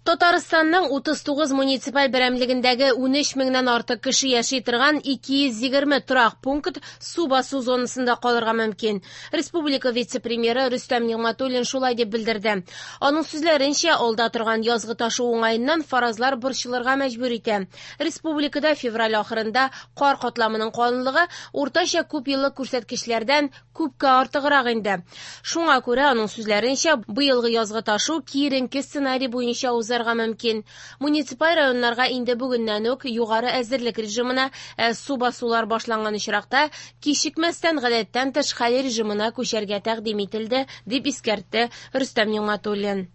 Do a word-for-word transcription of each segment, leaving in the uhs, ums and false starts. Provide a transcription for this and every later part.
Татарстанның утыз тугыз муниципаль берәмлегендәге унөч меңнән артык кеше яши торган ике йөз егерме торак пункт су басу зонасында калырга мөмкин. Республика вице-премьеры Рөстәм Нигъмәтуллин шулай дип белдерде. Аның сүзләренчә, алда торган язгы ташу уңаеннан фаразлар борчылырга мәҗбүр итә. Республикада февраль ахырында кар катламының калынлыгы уртача күп еллык күрсәткечләрдән күпкә артыграк инде. Шуңа күрә, аның сүзләренчә, быелгы язгы ташу киеренке сценарий буенча узарга мөмкин. Муниципаль районнарга инде бүгеннән үк югары әзерлек режимына, ә су басулар башланган очракта кичекмәстән гадәттән тыш хәл режимына күчәргә тәкъдим ителде, дип искәртте Рөстәм Нигъмәтуллин.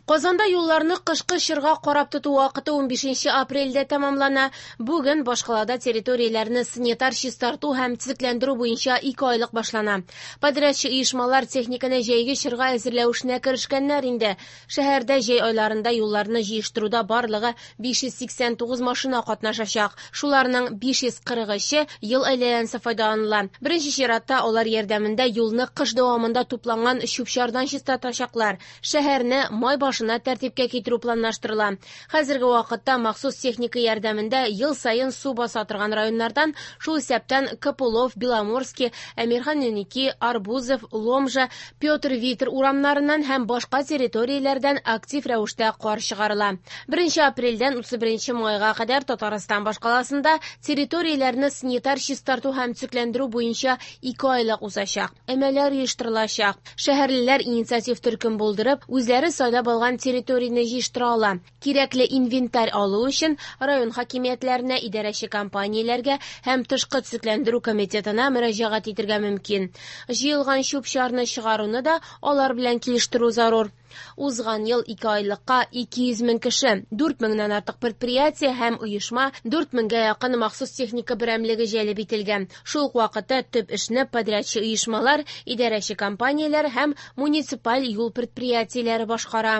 Казанда юлларны кышкы чорга карап тоту вакыты унбишенче апрельдә тәмамлана. Бүген башкалада территорияләрне санитар чистарту һәм төзекләндерү буенча ике айлык башлана. Подрядчы оешмалар техниканы җәйге чорга әзерләү эшенә керешкәннәр инде. Шәһәрдә җәй айларында юлларны җыештыруда барлыгы биш йөз сиксән тугыз машина катнашачак. Шуларның биш йөз кырык өче ел әйләнәсе файдаланыла. Беренче чиратта алар ярдәмендә юлны кыш дәвамында тупланган чүп-чардан чистартачаклар. Шәһәрне май башына тәртипкә китерү планлаштырыла. Хәзерге вакытта махсус техника ярдәмендә ел саен су баса торган районнардан, шул исәптән Копылов, Беломорский, Әмирхан Еники, Арбузов, Ломжа, Петр Витер урамнарыннан һәм башка территорияләрдән актив рәвештә кар чыгарыла. Беренче апрельдән утыз беренче майга кадәр Татарстан башкаласында территорияләрне санитар чистарту һәм төзекләндерү буенча ике айлык узачак. Өмәләр оештырылачак. Шәһәрлеләр инициатив төркем булдырып, үзләре сайлап алган территорияне җыештыра ала. Кирәкле инвентарь алу өчен район хакимиятләренә, идарәче компанияләргә һәм тышкы төзекләндерү комитетына мөрәҗәгать итәргә мөмкин. Җыелган чүп-чарны чыгаруны да алар белән килештерү зарур. Узган ел ике айлыкка ике йөз мең кеше, дүрт меңнән артык предприятие һәм оешма, дүрт меңгә якын махсус техника берәмлеге җәлеп ителгән. Шул ук вакытта төп эшне подрядчы оешмалар, идарәче компанияләр һәм муниципаль юл предприятиеләре башкара.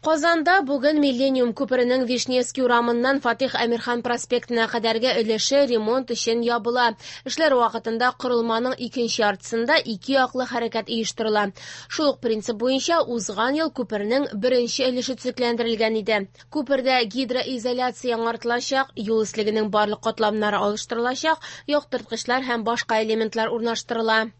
Казанда бүген Миллениум күперенең Вишневский урамыннан Фатих Әмирхан проспектына кадәрге өлеше ремонт өчен ябыла. Эшләр вакытында корылманың икенче яртысында ике яклы хәрәкәт оештырыла. Шул ук принцип буенча узган ел күпернең беренче өлеше төзекләндерелгән иде. Күпердә гидроизоляция яңартылачак, юл өслегенең барлык катламнары алыштырылачак, яктырткычлар һәм башка элементлар урнаштырыла.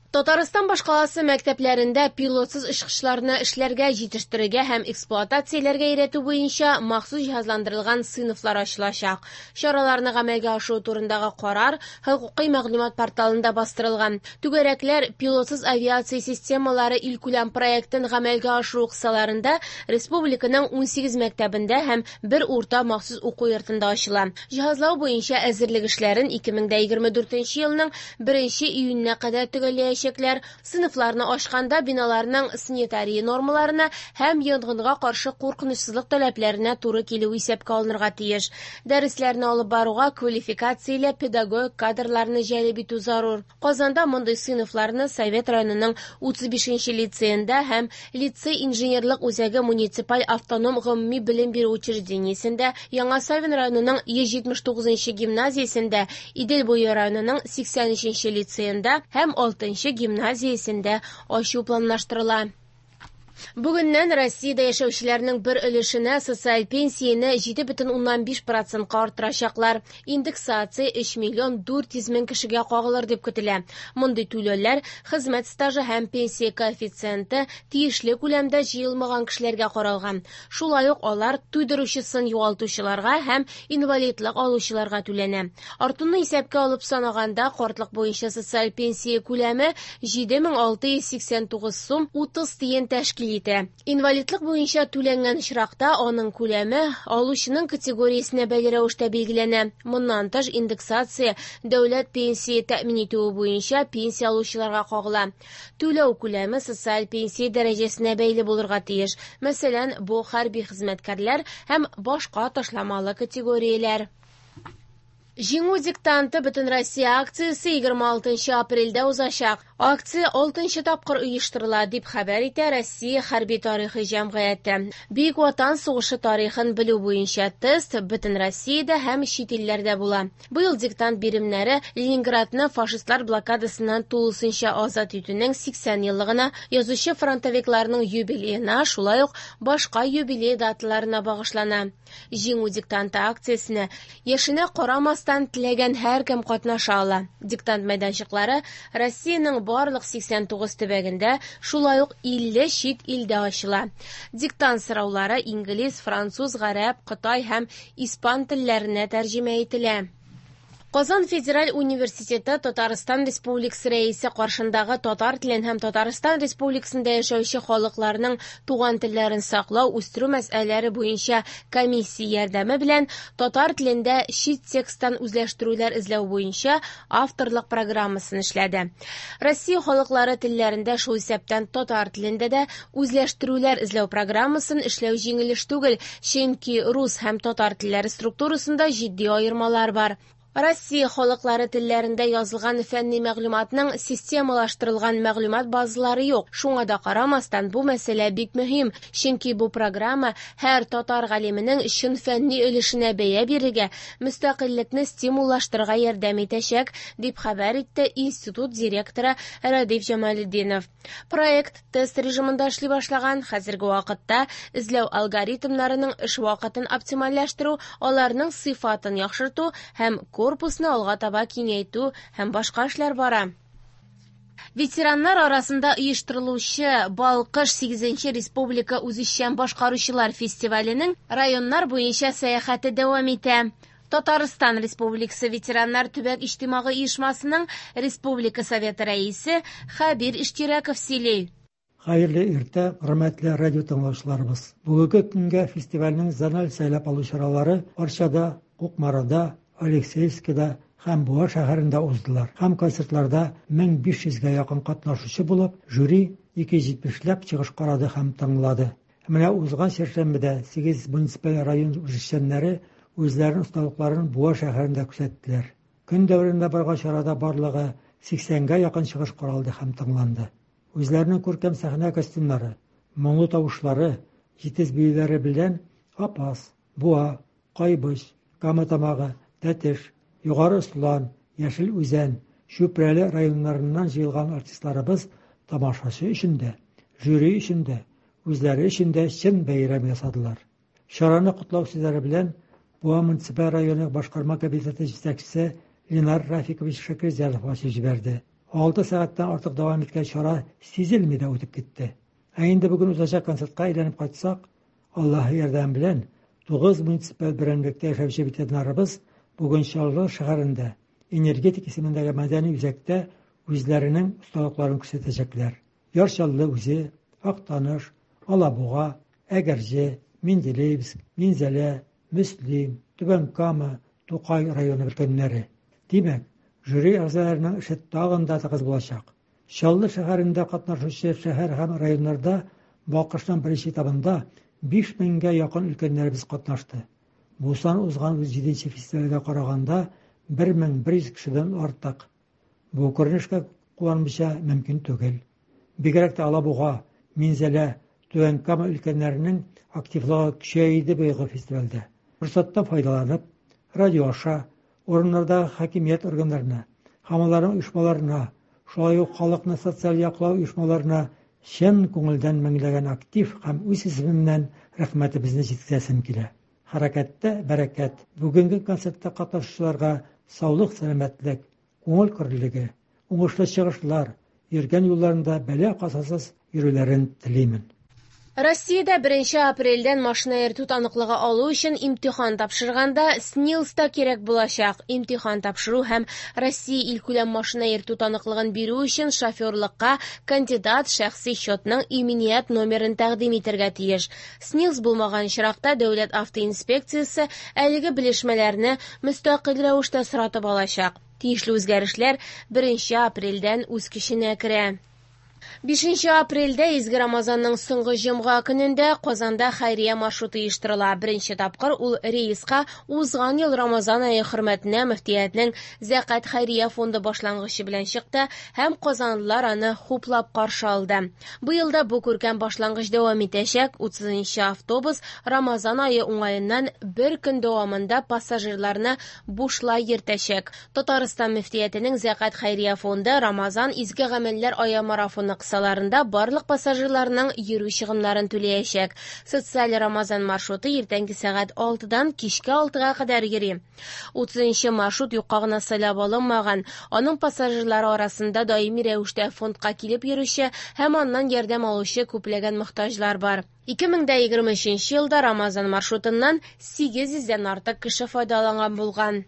Татарстан башкаласы мәктәпләрендә пилотсыз очкычларны эшләргә, җитештерергә һәм эксплуатацияләргә өйрәтү буенча махсус җиһазландырылган сыйныфлар ачылачак. Чараларны гамәлгә ашыру турындагы карар хокукый мәгълүмат порталында бастырылган. Түгәрәкләр пилотсыз авиация системалары илкүләм проектын гамәлгә ашыру кысаларында республиканың унсигез мәктәбендә һәм бер урта махсус уку йортында ачыла. Җиһазлау буенча әзерлек эшләрен ике мең дә егерме дүртенче елның беренче июненә кадәр төгәлләячәк. Сыйныфларны ачканда биналарның санитария нормаларына һәм янгынга каршы куркынычсызлык таләпләренә туры килү исәпкә алынырга тиеш. Дәресләрне алып баруга квалификацияле педагог кадрларны җәлеп итү зарур. Казанда мондый сыйныфларны Совет районының утыз бишенче лицеенда һәм лицей инженерлык үзәге муниципаль автоном гомуми белем бирү учреждениесендә, Яңа Савин районының йөз җитмеш тугызынчы гимназиясендә, Идел буе районының сиксән өченче лицеенда һәм алтынчы гимназиясендә ачу планлаштырыла. Бүгеннән Россиядә яшәүчеләрнең бер өлешенә социаль пенсияне җиде бөтен уннан биш процентка арттырачаклар. Индексация өч миллион дүрт йөз мең кешегә кагылыр дип көтелә. Мондый түләүләр хезмәт стажы һәм пенсия коэффициенты тиешле күләмдә җыелмаган кешеләргә каралган. Шулай ук алар туйдыручысын югалтучыларга һәм инвалидлык алучыларга түләнә. Артуны исәпкә алып санаганда, картлык буенча социаль пенсия күләме җиде мең алты йөз сиксән тугыз сум утыз тиен тәшкил итә. Инвалидлык буенча түләнгән очракта аның күләме алучының категориясенә бәйле рәвештә билгеләнә. Моннан тыш индексация дәүләт пенсия тәэмин итүе буенча пенсия алучыларга кагыла. Түләү күләме социаль пенсия дәрәҗәсенә бәйле булырга тиеш. Мәсәлән, бу хәрби хезмәткәрләр һәм башка ташламалы категорияләр. Җиңү диктанты Бөтенроссия акциясе егерме алтынчы апрельдә узачак. Акция алтынчы тапкыр оештырыла, дип хәбәр итә Россия хәрби тарихы җәмгыяте. Бөек Ватан сугышы тарихын белү буенча тест бөтен Россиядә һәм чит илләрдә була. Быел диктант биремнәре Ленинградны фашистлар блокадасыннан тулысынча азат итүнең сиксән еллыгына, язучы фронтовикларның юбилеена, шулай ук башка юбилей даталарына багышлана. Җиңү диктанты акциясенә яшенә карамастан теләгән һәркем катнаша ала. Диктант мәйданчыклары Россиянең барлык сиксән тугыз төбәгендә, шулай ук илле чит илдә ачыла. Диктант сораулары инглиз, француз, гарәп, кытай һәм испан телләренә тәрҗемә ителә. Казан федераль университеты Татарстан Республикасы рәисе каршындагы татар телен һәм Татарстан Республикасында яшәүче халыкларның туган телләрен саклау, үстерү мәсьәләләре буенча комиссия ярдәме белән татар телендә чит тексттан үзләштерүләр эзләү буенча авторлык программасын эшләде. Россия халыклары телләрендә, шул исәптән татар телендә дә үзләштерүләр эзләү программасын эшләү җиңел эш түгел, чөнки рус һәм татар телләре структурасында җитди аермалар бар. Россия халыклары телләрендә язылган фәнни мәгълүматның системалаштырылган мәгълүмат базалары юк. Шуңа да карамастан, бу мәсьәлә бик мөһим, чөнки бу программа һәр татар галименең чын фәнни өлешенә бәя бирергә, мөстәкыйльлекне стимуллаштырырга ярдәм итәчәк, дип хәбәр итте институт директоры Радиф Җамалетдинов. Проект тест режимында эшли башлаган. Хәзерге вакытта эзләү алгоритмнарының эш вакытын оптимальләштерү, аларның сыйфатын яхшырту һәм корпусны алга таба киңәйтү һәм башка эшләр бара. Ветераннар арасында оештырылучы Балкыш сигезенче республика үзешчән башкаручылар фестиваленең районнар буенча сәяхәте дәвам итә. Татарстан Республикасы ветераннар төбәк иҗтимагый оешмасының Республика Советы рәисе Хәбир Иштирәков сөйли. Хәерле иртә, хөрмәтле радио тыңлаучыларыбыз. Бүгенге көнгә фестивальнең зональ сайлап алу чаралары Арчада, Кукмарада, Алексеевскида һәм Буа шәһәрендә уздылар. Һәм концертларда мең биш йөзгә якын катнашучы булып, жюри ике йөз җитмешләп чыгыш карады һәм тыңлады. Менә узган чәршәмбедә сигез муниципаль район үзешчәннәре үзләренең осталыкларын Буа шәһәрендә күрсәттеләр. Көн дәверендә барган чарада барлыгы сиксәнгә якын чыгыш каралды һәм тыңланды. Үзләренең күркәм сәхнә костюмнары, моңлы тавышлары, җитез биюләре белән Апас, Буа, Кайбыч, Кама Тамагы, Тәтеш, Югары Ослан, Яшел Үзән, Чүпрәле районнарыннан җыелган артистларыбыз тамашачы өчен дә, жюри өчен дә, үзләре өчен дә чын бәйрәм ясадылар. Чараны котлау сүзләре белән Буа муниципаль районы башкарма комитеты җитәкчесе Ленар Рафикович Шакирзянов ачып җибәрде. Алты сәгатьтән артык дәвам иткән чара сизелми дә үтеп китте. Ә инде бүген узачак концертка әйләнеп кайтсак, Аллаһы ярдәме белән тугыз муниципаль берәмлектә яшәүче ветераннарыбыз бүген Чаллы шәһәрендә Энергетик исемендәге мәдәни үзәктә үзләренең осталыкларын күрсәтәчәкләр. Яр Чаллы үзе, Актаныш, Алабуга, Әгерҗе, Менделеевск, Минзәлә, Мөслим, Түбән Кама, Тукай районы өлкәннәре. Димәк, жюри әгъзаларының эше тагын да тыгыз булачак. Чаллы шәһәрендә катнашучы шәһәр һәм районнарда Балкышның беренче этабында биш меңгә якын өлкәннәребез катнашты. Бу сан узган җиденче фестивальгә караганда бер мең бер йөз кешедән артык. Бу күренешкә куанмыйча мөмкин түгел. Бигрәк тә Алабуга, Минзәлә, Түбән Кама өлкәннәренең активлыгы көчәйде быелгы фестивальдә. Форсаттан файдаланып, радио аша урыннардагы хакимият органнарына һәм аларның оешмаларына, шулай ук халыкны социаль яклау оешмаларына чын күңелдән меңләгән актив һәм үз исемемнән рәхмәтебезне җиткерәсем килә. Хәрәкәттә бәрәкәт. Бүгенге концертта катнашучыларга саулык, сәламәтлек, күңел көрлеге, уңышлы чыгышлар, йөргән юлларында бәла-казасыз йөрүләрен телимен. Россиядә беренче апрельдән машина йөртү таныклыгы алу өчен имтихан тапшырганда СНИЛС та кирәк булачак. Имтихан тапшыру һәм Россия илкүләм машина йөртү таныклыгын бирү өчен шоферлыкка кандидат шәхси счетның иминият номерын тәкъдим итәргә тиеш. СНИЛС булмаган очракта дәүләт автоинспекциясе әлеге белешмәләрне мөстәкыйль рәвештә соратып алачак. Тиешле үзгәрешләр беренче апрельдән үз көченә керә. Бишенче апрельдә, изге Рамазанның соңгы җомга көнендә, Казанда хәйрия маршруты оештырыла. Беренче тапкыр ул рейска узган ел Рамазан ае хөрмәтенә мөфтиятнең Зәкать хәйрия фонды башлангычы белән чыкты һәм казанлылар аны хуплап каршы алды. Быел да бу күркәм башлангыч дәвам итәчәк. Утызынчы автобус Рамазан ае уңаеннан бер көн дәвамында пассажирларны бушлай йөртәчәк. Татарстан мөфтиятенең Зәкать хәйрия фонды Рамазан изге гамәлләр ае марафоны кысаларында барлык пассажирларның йөрү чыгымнарын түләячәк. Социаль Рамазан маршруты иртәнге сәгать алтыдан кичке алтыга кадәр йөри. Утызынчы маршрут юкка гына сайлап алынмаган. Аның пассажирлары арасында даими рәвештә фондка килеп йөрүче һәм аннан ярдәм алучы күпләгән мохтаҗлар бар. Ике мең дә егерме өченче елда Рамазан маршрутыннан сигез йөздән артык кеше файдаланган булган.